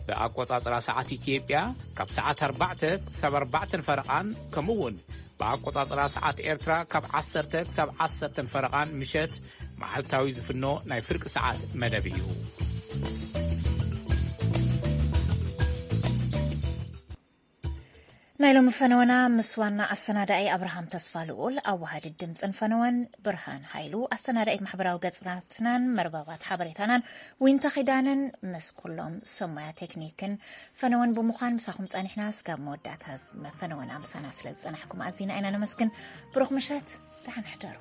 ብኣቆጻጽራ ሰዓት ኢትዮጵያ ካብ ሰዓት ኣርባዕተ ክሳብ ኣርባዕተን ፈረቓን ከምኡ እውን ብኣቆጻጽራ ሰዓት ኤርትራ ካብ ዓሰርተ ክሳብ ዓሰርተን ፈረቓን ምሸት መዓልታዊ ዝፍኖ ናይ ፍርቂ ሰዓት መደብ እዩ። ናይ ሎሚ ፈነወና ምስ ዋና ኣሰናዳኢ ኣብርሃም ተስፋ ልኡል፣ ኣዋሃዲ ድምፅን ፈነወን ብርሃን ሃይሉ፣ ኣሰናዳኢት ማሕበራዊ ገፅታትናን መርበባት ሓበሬታናን ዊንታ ኺዳነን፣ ምስ ኩሎም ሰብ ሞያ ቴክኒክን ፈነወን ብምዃን ምሳኹም ጸኒሕና። ስጋብ መወዳእታ ፈነወና ምሳና ስለ ዝጸናሕኩም ኣዚና ኢና ነመስግን። ብሩኽ ምሸት፣ ደሓን ሕደሩ።